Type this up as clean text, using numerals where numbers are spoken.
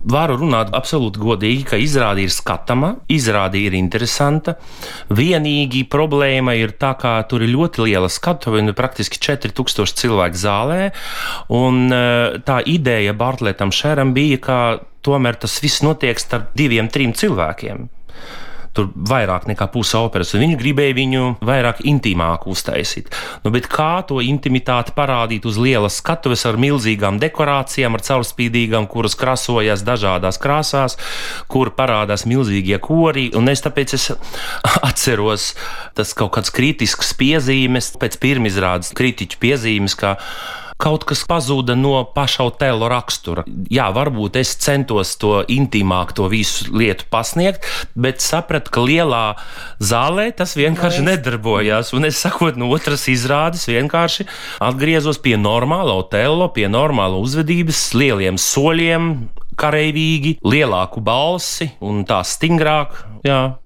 Varu runāt absolūti godīgi, ka izrāde ir skatama, izrāde ir interesanta. Vienīgi problēma ir tā, ka tur ir ļoti liela skatuve, praktiski 4000 cilvēku zālē, un tā ideja Bartletam Šeram bija, ka tomēr tas viss notiek starp 2-3 cilvēkiem. Tur vairāk nekā puse operas, un viņi gribēja viņu vairāk intīmāku uztaisīt. Bet kā to intimitāti parādīt uz lielas skatuves ar milzīgām dekorācijām, ar caurspīdīgām, kuras krasojas dažādās krāsās, kur parādās milzīgie kori, un tāpēc es atceros tas kaut kāds kritisks piezīmes, pēc pirmizrādes kritiķu piezīmes, ka kaut kas pazuda no paša Otello rakstura. Jā, varbūt es centos to intīmāk, to visu lietu pasniegt, bet sapratu, ka lielā zālē tas vienkārši nedarbojās. Un es sakot, no otras izrādes vienkārši atgriezos pie normāla Otello, pie normāla uzvedības, lieliem soļiem, kareivīgi, lielāku balsi un tā stingrāk. Jā.